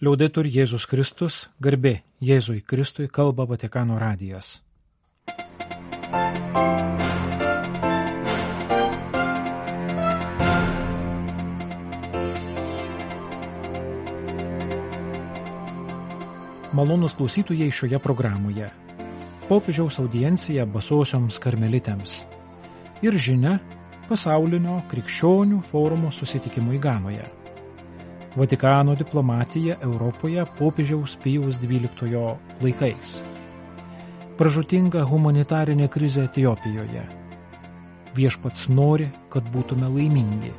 Liaudetur Jėzus Kristus, garbė Jėzui Kristui, kalba Vatikano radijas. Malonūs klausytojai šioje programoje. Popiežiaus audiencija basosioms karmelitėms. Ir žinia pasaulinio krikščionių forumo susitikimui Ganoje. Vatikano diplomatija Europoje popiežiaus Pijaus XII laikais. Pražūtinga humanitarinė krizė Etiopijoje. Viešpats nori, kad būtume laimingi.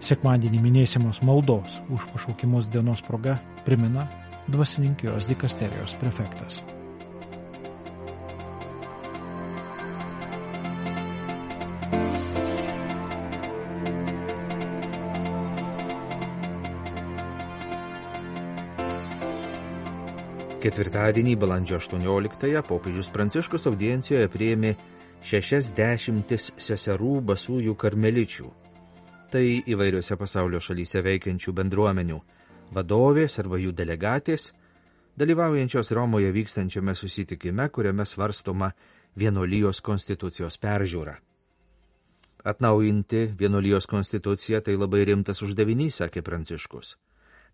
Sekmadienį minėsimos maldos už pašaukimus dienos proga primena dvasininkijos dikasterijos prefektas. Ketvirtadienį, balandžio 18-ąją, popiežius Pranciškus audiencijoje priėmė 60 seserų basųjų karmeličių. Tai įvairiose pasaulio šalyse veikiančių bendruomenių vadovės arba jų delegatės, dalyvaujančios Romoje vykstančiame susitikime, kuriame svarstoma vienuolijos konstitucijos peržiūra. Atnaujinti vienuolijos konstituciją tai labai rimtas uždavinys, sakė Pranciškus.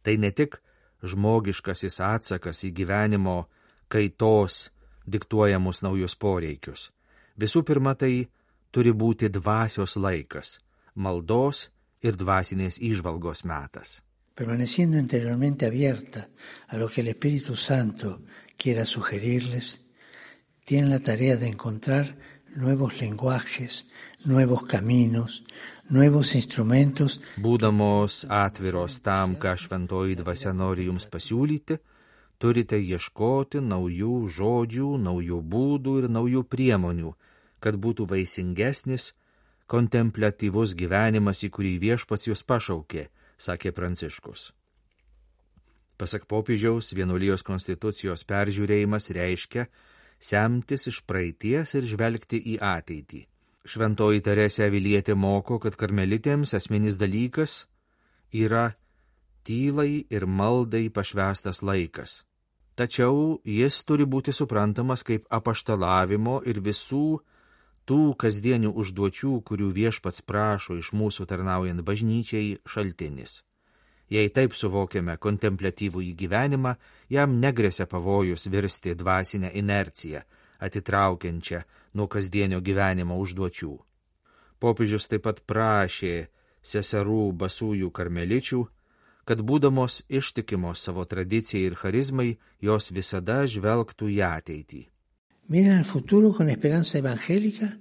Tai ne tik žmogiškasis atsakas į gyvenimo kaitos diktuojamus naujus poreikius. Visų pirma, tai turi būti dvasios laikas, maldos ir dvasinės įžvalgos metas. Permaneciendo interiormente abierta a lo que el Espíritu Santo quiera sugerirles, tienen la tarea de encontrar nuevos lenguajes, nuevos caminos, nuevos instrumentos. Būdamos atviros tam, ką šventoji dvasia nori jums pasiūlyti, turite ieškoti naujų žodžių, naujų būdų ir naujų priemonių, kad būtų vaisingesnis, kontempliatyvus gyvenimas, į kurį viešpats jūs pašaukė, sakė Pranciškus. Pasak popiežiaus, vienuolijos konstitucijos peržiūrėjimas reiškia semtis iš praeities ir žvelgti į ateitį. Šventoji Teresė Avilietė moko, kad karmelitėms esminis dalykas yra tylai ir maldai pašvęstas laikas. Tačiau jis turi būti suprantamas kaip apaštalavimo ir visų tų kasdienių užduočių, kurių viešpats prašo iš mūsų tarnaujant bažnyčiai, šaltinis. Jei taip suvokiame kontempliatyvų gyvenimą, jam negresia pavojus virsti dvasinę inerciją, atitraukiančią nuo kasdienio gyvenimo užduočių. Popiežius taip pat prašė seserų basųjų karmeličių, kad būdamos ištikimos savo tradicijai ir charizmai, jos visada žvelgtų į ateitį. Miren al futuro con esperanza evangélica,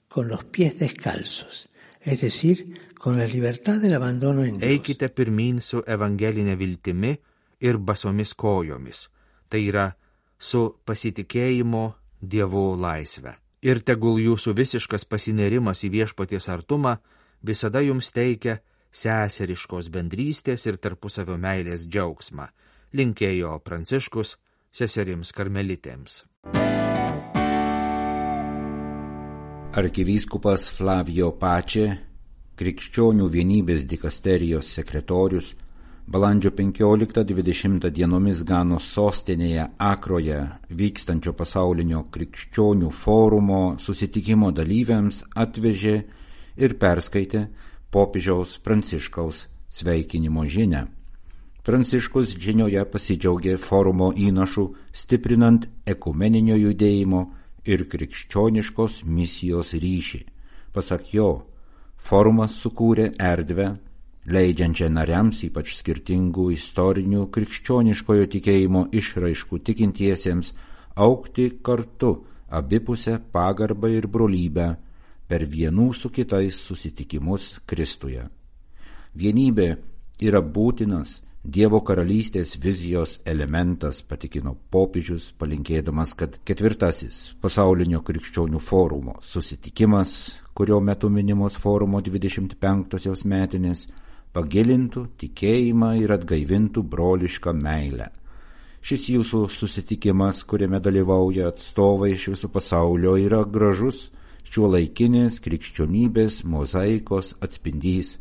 con los pies descalzos, es decir, con la libertad del abandono en Dios. Eikite pirmyn su evangelinė viltimi ir basomis kojomis, tai yra su pasitikėjimo Dievo laisve. Ir tegul jūsų visiškas pasinerimas į viešpaties artumą visada jums teikia seseriškos bendrystės ir tarpusavio meilės džiaugsmą, linkėjo Pranciškus seserims karmelitėms. Arkivyskupas Flavio Pace, krikščionių vienybės dikasterijos sekretorius, balandžio 15-20 dienomis Ganos sostinėje Akroje vykstančio pasaulinio krikščionių forumo susitikimo dalyviams atvežė ir perskaitė popiežiaus Pranciškaus sveikinimo žinią. Pranciškus žinioje pasidžiaugė forumo įnašų stiprinant ekumeninio judėjimo ir krikščioniškos misijos ryšį. Pasak jo, forumas sukūrė erdvę, leidžiančią nariams, ypač skirtingų istorinių krikščioniškojo tikėjimo išraiškų tikintiesiems, augti kartu abipusę pagarbą ir brolybę per vienų su kitais susitikimus Kristuje. Vienybė yra būtinas Dievo karalystės vizijos elementas, patikino popiežius, palinkėdamas, kad 4. pasaulinio krikščionių forumo susitikimas, kurio metu minimos forumo 25-osios metinės, pagilintų tikėjimą ir atgaivintų brolišką meilę. Šis jūsų susitikimas, kuriame dalyvauja atstovai iš viso pasaulio, yra gražus šiuolaikinės krikščionybės mozaikos atspindys.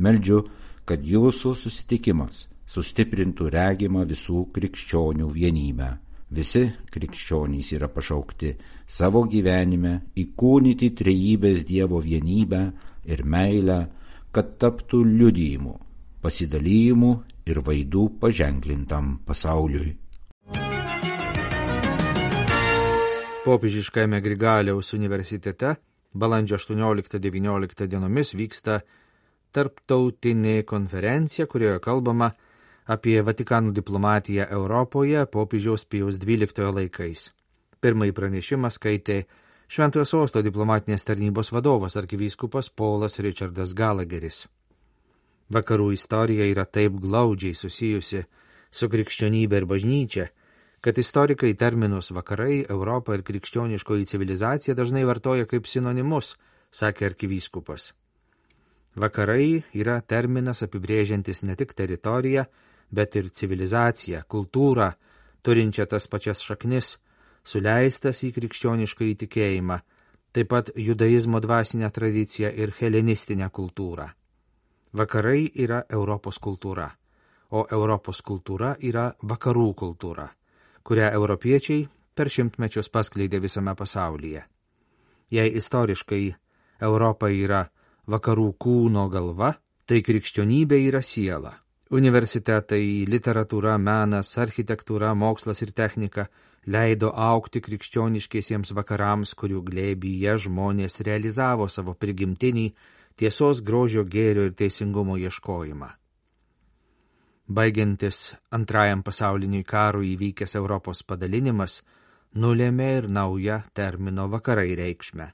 Meldžiu, kad jūsų susitikimas sustiprintų regimą visų krikščionių vienybę. Visi krikščionys yra pašaukti savo gyvenime įkūnyti trejybės Dievo vienybę ir meilę, kad taptų liudijimu, pasidalymu ir vaidu paženklintam pasauliui. Popiežiškajame Grigaliaus universitete balandžio 18-19 dienomis vyksta tarptautinė konferencija, kurioje kalbama apie Vatikano diplomatiją Europoje popiežiaus Pijaus XII laikais. Pirmąjį pranešimą skaitė Šventojo Sosto diplomatinės tarnybos vadovas arkivyskupas Paulas Richardas Gallagheris. Vakarų istorija yra taip glaudžiai susijusi su krikščionybė ir bažnyčia, kad istorikai terminus vakarai, Europą ir krikščioniškoji civilizacija dažnai vartoja kaip sinonimus, sakė arkivyskupas. Vakarai yra terminas apibrėžiantis ne tik teritoriją, bet ir civilizaciją, kultūrą, turinčią tas pačias šaknis, suleistas į krikščionišką įtikėjimą, taip pat judaizmo dvasinę tradiciją ir helenistinę kultūrą. Vakarai yra Europos kultūra, o Europos kultūra yra vakarų kultūra, kurią europiečiai per šimtmečius paskleidė visame pasaulyje. Jei istoriškai Europa yra vakarų kūno galva, tai krikščionybė yra siela. Universitetai, literatūra, menas, architektūra, mokslas ir technika leido augti krikščioniškiesiems vakarams, kurių glėbyje žmonės realizavo savo prigimtinį tiesos, grožio, gėrio ir teisingumo ieškojimą. Baigiantis Antrajam pasauliniui karui įvykęs Europos padalinimas nulėmė ir naują termino vakarai reikšmę.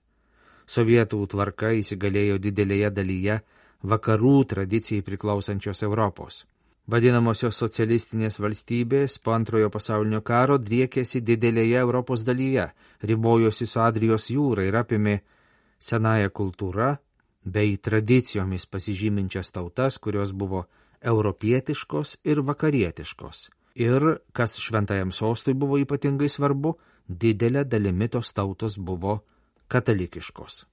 Sovietų tvarka įsigalėjo didelėje dalyje vakarų tradicijai priklausančios Europos. Vadinamosios socialistinės valstybės po Antrojo pasaulinio karo driekėsi didelėje Europos dalyje, ribojosi su Adrijos jūra ir apėmė senąją kultūrą bei tradicijomis pasižyminčias tautas, kurios buvo europietiškos ir vakarietiškos. Ir, kas Šventajam Sostui buvo ypatingai svarbu, didelė dalimi tos tautos buvo katalikiškos.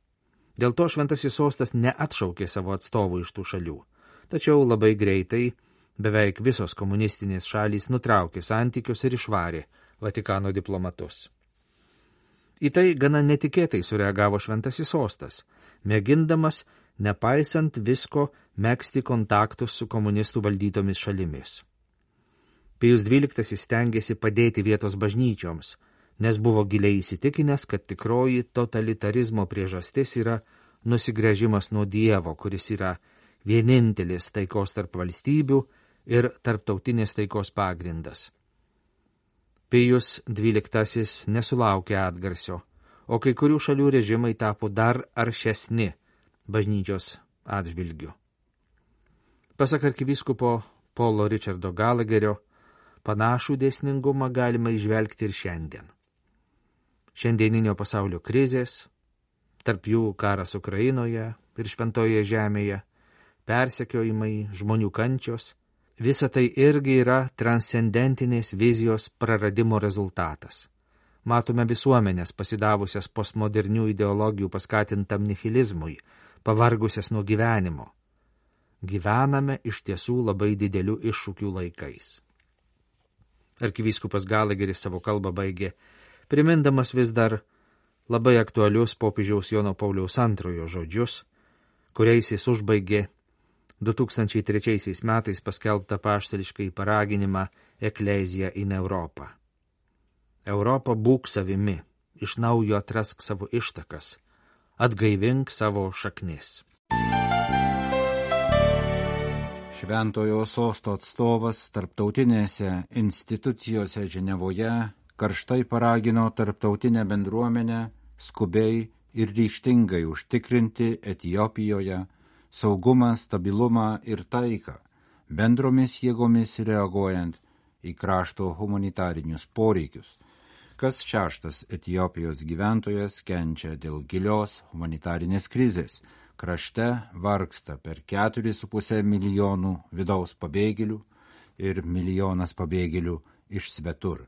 Dėl to Šventasis Sostas neatšaukė savo atstovų iš tų šalių. Tačiau labai greitai beveik visos komunistinės šalys nutraukė santykius ir išvarė Vatikano diplomatus. Į tai gana netikėtai sureagavo Šventasis Sostas, mėgindamas, nepaisant visko, megzti kontaktus su komunistų valdytomis šalimis. Pijus XII stengėsi padėti vietos bažnyčioms, nes buvo giliai įsitikinęs, kad tikroji totalitarizmo priežastis yra nusigręžimas nuo Dievo, kuris yra vienintelis taikos tarp valstybių ir tarptautinės taikos pagrindas. Pijus XII nesulaukė atgarsio, o kai kurių šalių režimai tapo dar aršesni bažnyčios atžvilgiu. Pasak arkivyskupo Paulo Richardo Gallagherio, panašų dėsningumą galima įžvelgti ir šiandien. Šiandieninio pasaulio krizės, tarp jų karas Ukrainoje ir Šventojoje žemėje, persekiojimai, žmonių kančios, visa tai irgi yra transcendentinės vizijos praradimo rezultatas. Matome visuomenės pasidavusias postmodernių ideologijų paskatintam nihilizmui, pavargusias nuo gyvenimo. Gyvename iš tiesų labai didelių iššūkių laikais. Arkivyskupas Gallagheris savo kalbą baigė, primindamas vis dar labai aktualius popiežiaus Jono Pauliaus II žodžius, kuriais jis užbaigė 2003 metais paskelbtą apaštališkąjį paraginimą Ecclesia in Europa. Europa, būk savimi, iš naujo atrask savo ištakas, atgaivink savo šaknis. Šventojo Sosto atstovas tarptautinėse institucijose Ženevoje karštai paragino tarptautinę bendruomenę skubiai ir ryžtingai užtikrinti Etiopijoje saugumą, stabilumą ir taiką, bendromis jėgomis reaguojant į krašto humanitarinius poreikius. Kas šeštas Etiopijos gyventojas kenčia dėl gilios humanitarinės krizės. Krašte vargsta per 4,5 milijonų vidaus pabėgėlių ir 1 milijonas pabėgėlių iš svetur.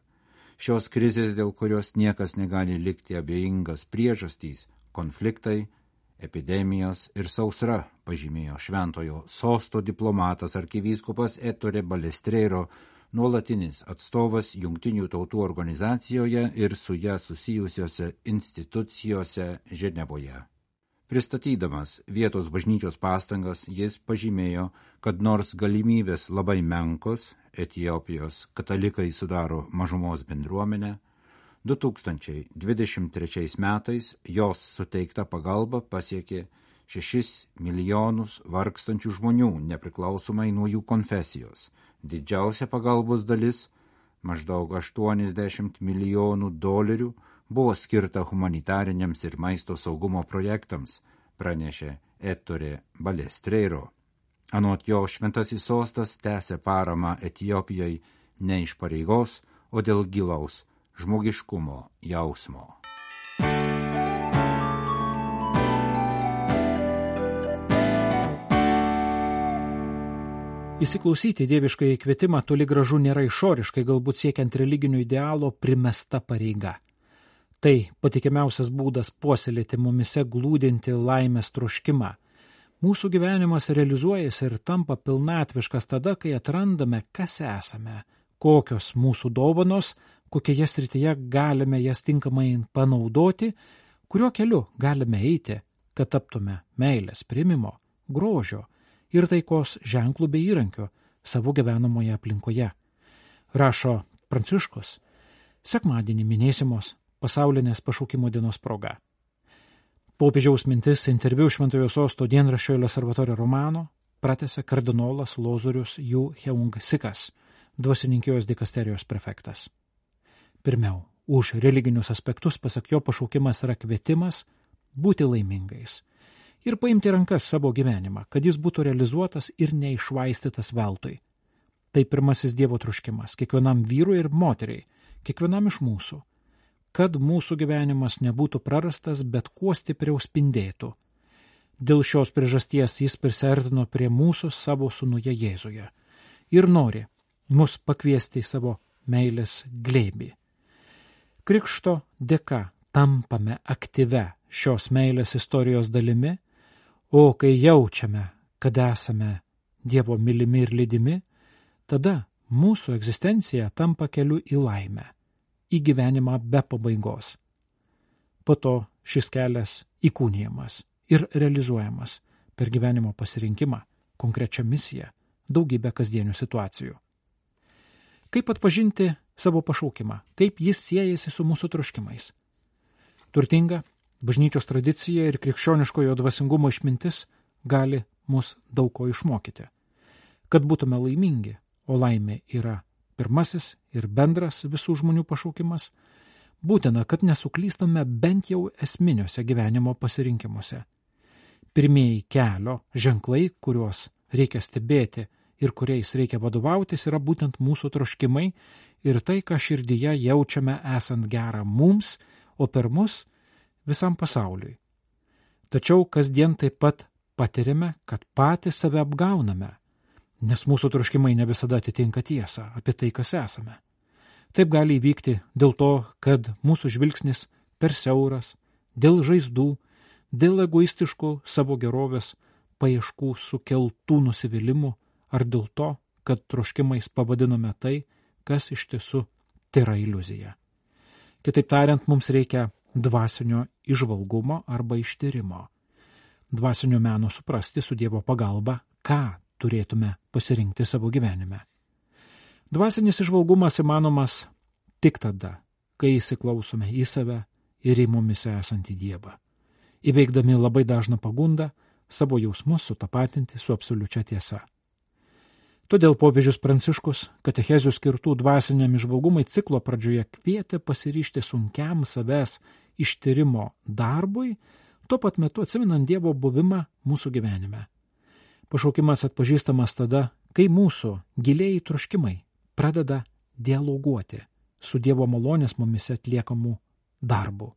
Šios krizės, dėl kurios niekas negali likti abejingas priežastys, konfliktai epidemijos ir sausra, pažymėjo Šventojo Sosto diplomatas arkivyskupas Ettore Balestrero, nuolatinis atstovas Jungtinių tautų organizacijoje ir su ją susijusiose institucijose Ženevoje. Pristatydamas vietos bažnyčios pastangas, jis pažymėjo, kad nors galimybės labai menkos, Etiopijos katalikai sudaro mažumos bendruomenę, 2023 metais jos suteikta pagalba pasiekė 6 milijonus vargstančių žmonių, nepriklausomai nuo jų konfesijos. Didžiausia pagalbos dalis, maždaug $80 milijonų, buvo skirta humanitariniams ir maisto saugumo projektams, pranešė Ettore Balestrero. Anot jo, Šventasis Sostas tęsia paramą Etiopijai ne iš pareigos, o dėl gilaus žmogiškumo jausmo. Įsiklausyti dieviškai kvietimą toli gražu nėra išoriškai, galbūt siekiant religinio idealo primesta pareiga. Tai patikimiausias būdas puoselėti mumise glūdinti laimės troškimą. Mūsų gyvenimas realizuojasi ir tampa pilnatviškas tada, kai atrandame, kas esame, kokios mūsų dovanos, kokioje srityje galime jas tinkamai panaudoti, kuriuo keliu galime eiti, kad taptume meilės, priėmimo, grožio ir taikos ženklų bei įrankių savo gyvenamoje aplinkoje. Rašo Pranciškus, sekmadienį minėsimos pasaulinės pašaukimo dienos proga. Popiežiaus mintis interviu Šventojo Sosto dienraščio Il Osservatore Romano pratęsė kardinolas Lozorius Yu Heung Sikas, dvasininkijos dikasterijos prefektas. Pirmiau, už religinius aspektus, pasak jo, pašaukimas yra kvietimas būti laimingais ir paimti rankas savo gyvenimą, kad jis būtų realizuotas ir neišvaistytas veltui. Tai pirmasis Dievo troškimas kiekvienam vyrui ir moteriai, kiekvienam iš mūsų, kad mūsų gyvenimas nebūtų prarastas, bet kuo stipriau spindėtų. Dėl šios priežasties jis prisiartino prie mūsų savo sūnuje Jėzuje ir nori mus pakviesti į savo meilės glėbį. Krikšto dėka tampame aktyve šios meilės istorijos dalimi, o kai jaučiame, kad esame Dievo mylimi ir lydimi, tada mūsų egzistencija tampa keliu į laimę, į gyvenimą be pabaigos. Po to šis kelias įkūnijamas ir realizuojamas per gyvenimo pasirinkimą, konkrečią misiją, daugybę kasdienių situacijų. Kaip atpažinti savo pašaukimą, kaip jis siejasi su mūsų troškimais? Turtinga bažnyčios tradicija ir krikščioniškojo dvasingumo išmintis gali mus daug ko išmokyti. Kad būtume laimingi, o laimė yra pirmasis ir bendras visų žmonių pašaukimas, būtina, kad nesuklystume bent jau esminiuose gyvenimo pasirinkimuose. Pirmieji kelio ženklai, kuriuos reikia stebėti ir kuriais reikia vadovautis, yra būtent mūsų troškimai ir tai, ką širdyje jaučiame esant gerą mums, o per mus visam pasauliui. Tačiau kasdien taip pat patiriame, kad patys save apgauname, nes mūsų troškimai ne visada atitinka tiesą apie tai, kas esame. Taip gali įvykti dėl to, kad mūsų žvilgsnis per siauras, dėl žaizdų, dėl egoistiškų savo gerovės paieškų sukeltų nusivylimų, ar dėl to, kad troškimais pavadinome tai, kas iš tiesų tėra iliuzija. Kitaip tariant, mums reikia dvasinio įžvalgumo arba ištyrimo, dvasinio meno suprasti su Dievo pagalba, ką turėtume pasirinkti savo gyvenime. Dvasinis įžvalgumas įmanomas tik tada, kai įsiklausome į save ir į mumise esantį Dievą, įveikdami labai dažną pagundą savo jausmus sutapatinti su absoliučia tiesa. Todėl popiežius Pranciškus katechezių skirtų dvasiniam įžvalgumui ciklo pradžioje kvietė pasiryžti sunkiam savęs ištyrimo darbui, tuo pat metu atsimenant Dievo buvimą mūsų gyvenime. Pašaukimas atpažįstamas tada, kai mūsų giliai troškimai pradeda dialoguoti su Dievo malonės mumise atliekamų darbų.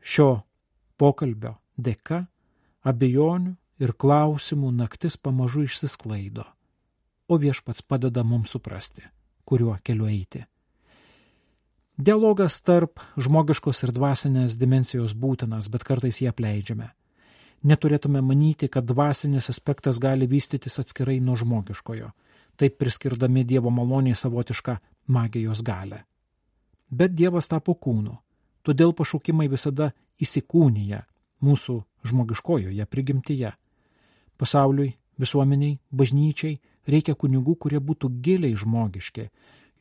Šio pokalbio dėka abejonių ir klausimų naktis pamažu išsisklaido, o Viešpats padeda mums suprasti, kuriuo keliu eiti. Dialogas tarp žmogiškos ir dvasinės dimensijos būtinas, bet kartais jį apleidžiame. Neturėtume manyti, kad dvasinis aspektas gali vystytis atskirai nuo žmogiškojo, taip priskirdami Dievo maloniai savotišką magijos galę. Bet Dievas tapo kūnu, todėl pašaukimai visada įsikūnija mūsų žmogiškojoje prigimtyje. Pasauliui, visuomeniai, bažnyčiai reikia kunigų, kurie būtų giliai žmogiški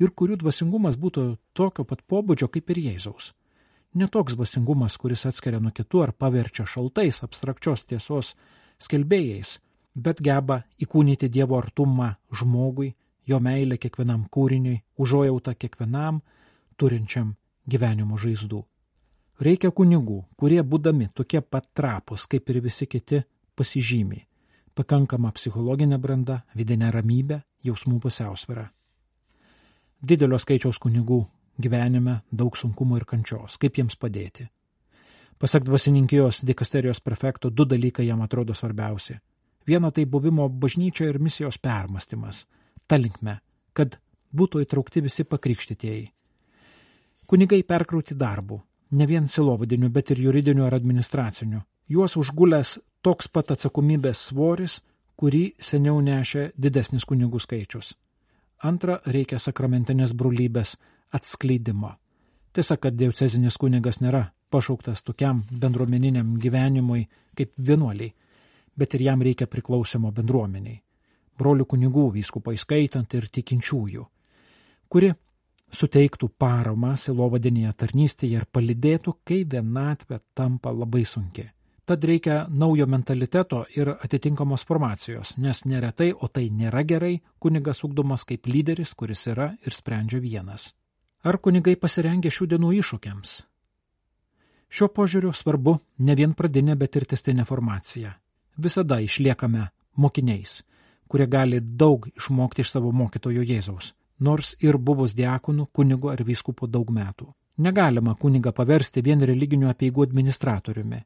ir kurių dvasingumas būtų tokio pat pobūdžio kaip ir Jėzaus. Ne toks dvasingumas, kuris atskiria nuo kitų ar paverčia šaltais abstrakčios tiesos skelbėjais, bet geba įkūnyti Dievo artumą žmogui, jo meilę kiekvienam kūriniui, užuojautą kiekvienam turinčiam gyvenimo žaizdų. Reikia kunigų, kurie būdami tokie pat trapūs kaip ir visi kiti pasižymi pakankama psichologinė branda, vidinė ramybė, jausmų pusiausvyra. Didelio skaičiaus kunigų gyvenime daug sunkumų ir kančios. Kaip jiems padėti? Pasak dvasininkijos dikasterijos prefekto, 2 dalykai jam atrodo svarbiausi. Viena tai buvimo bažnyčioje ir misijos permastymas, ta linkme, kad būtų įtraukti visi pakrikštytieji. Kunigai perkrauti darbu, ne vien silovadiniu, bet ir juridiniu ar administraciniu. Juos užgulęs toks pat atsakomybės svoris, kurį seniau nešė didesnis kunigų skaičius. Antra, reikia sakramentinės brolybės atskleidimo. Tiesa, kad diecezinis kunigas nėra pašauktas tokiam bendruomeniniam gyvenimui kaip vienuoliai, bet ir jam reikia priklausimo bendruomeniai. Brolių kunigų, vyskupai skaitant ir tikinčiųjų, kuri suteiktų paramą silovadinėje tarnystėje ir palydėtų, kai vienatvė tampa labai sunki. Tad reikia naujo mentaliteto ir atitinkamos formacijos, nes neretai, o tai nėra gerai, kunigas ugdomas kaip lyderis, kuris yra ir sprendžia vienas. Ar kunigai pasirengę šių dienų iššūkiams? Šiuo požiūriu svarbu ne vien pradinė, bet ir tęstinė formacija. Visada išliekame mokiniais, kurie gali daug išmokti iš savo mokytojo Jėzaus, nors ir buvus diakonu, kunigu ar vyskupu daug metų. Negalima kunigą paversti vien religinių apeigų administratoriumi.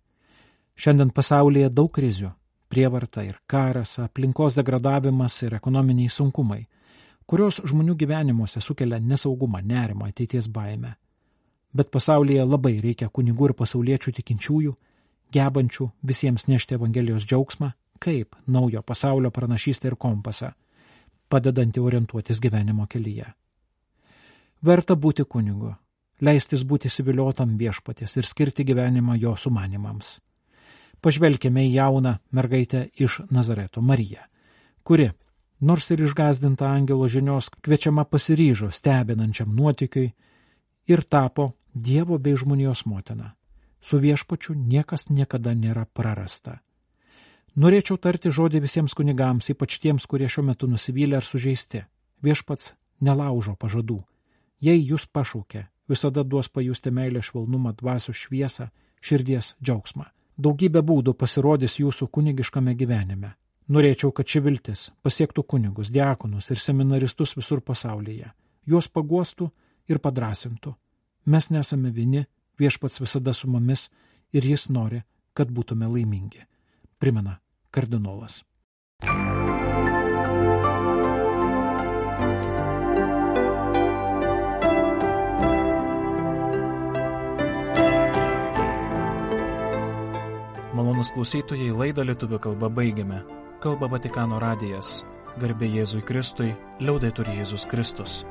Šiandien pasaulyje daug krizių – prievarta ir karas, aplinkos degradavimas ir ekonominiai sunkumai, kurios žmonių gyvenimuose sukelia nesaugumą, nerimą, ateities baimę. Bet pasaulyje labai reikia kunigų ir pasauliečių tikinčiųjų, gebančių visiems nešti Evangelijos džiaugsmą, kaip naujo pasaulio pranašystę ir kompasą, padedantį orientuotis gyvenimo kelyje. Verta būti kunigu, leistis būti įsiviliotam viešpaties ir skirti gyvenimą jo sumanimams. Pažvelkime į jauną mergaitę iš Nazareto, Mariją, kuri, nors ir išgąsdinta angelo žinios, kviečiama pasiryžo stebinančiam nuotykiui ir tapo Dievo bei žmonijos motina. Su viešpačiu niekas niekada nėra prarasta. Norėčiau tarti žodį visiems kunigams, ypač tiems, kurie šiuo metu nusivylę ar sužeisti. Viešpats nelaužo pažadų. Jei jūs pašaukė, visada duos pajusti meilę, švelnumą, dvasios šviesą, širdies džiaugsmą. Daugybė būdų pasirodys jūsų kunigiškame gyvenime. Norėčiau, kad ši viltis pasiektų kunigus, diakonus ir seminaristus visur pasaulyje. Juos paguostų ir padrasintų. Mes nesame vieni, viešpats visada su mumis ir jis nori, kad būtume laimingi. Primena kardinolas. Malonūs klausytojai, laidą lietuvių kalba baigiame. Kalba Vatikano radijas. Garbė Jėzui Kristui, liaudetur Jėzus Kristus.